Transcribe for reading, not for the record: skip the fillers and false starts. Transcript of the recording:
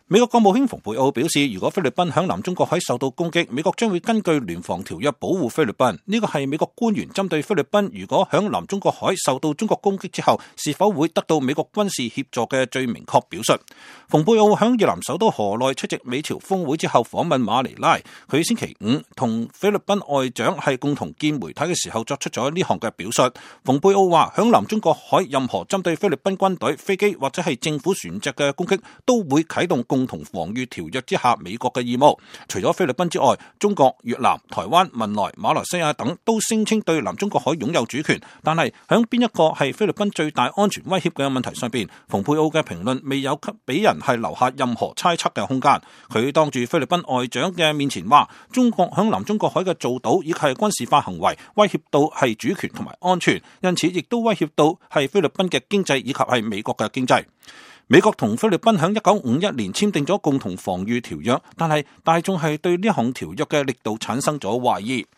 美國國務卿蓬佩奧表示，如果菲律賓響南中國海受到攻擊，美國將會根據聯防條約保護菲律賓。呢個係美國官員針對菲律賓如果響南中國海受到中國攻擊之後，是否會得到美國軍事協助嘅最明確表述。蓬佩奧響越南首都河內出席美朝峰會之後訪問馬尼拉，佢星期五同菲律賓外長係共同見媒體嘅時候作出咗呢項嘅表述。蓬佩奧話，響南中國海任何針對菲律賓軍隊、飛機或者係政府船隻嘅攻擊，都會啟動共同防禦條約之下美國嘅義務。除咗菲律賓之外，中國、越南、台灣、文萊、馬來西亞等都聲稱對南中國海擁有主權，但係響邊一個係菲律賓最大安全威脅嘅問題上邊，蓬佩奧嘅評論未有給俾人係留下任何猜測嘅空間。佢當住菲律賓外長嘅面前話，中國響南中國海嘅造島以及係軍事化行為威脅到係主權同埋安全，因此亦都威脅到係菲律賓嘅經濟以及係美國嘅經濟。美國同菲律賓喺1951年簽訂咗共同防禦條約，但係大眾係對呢項條約嘅力度產生咗懷疑。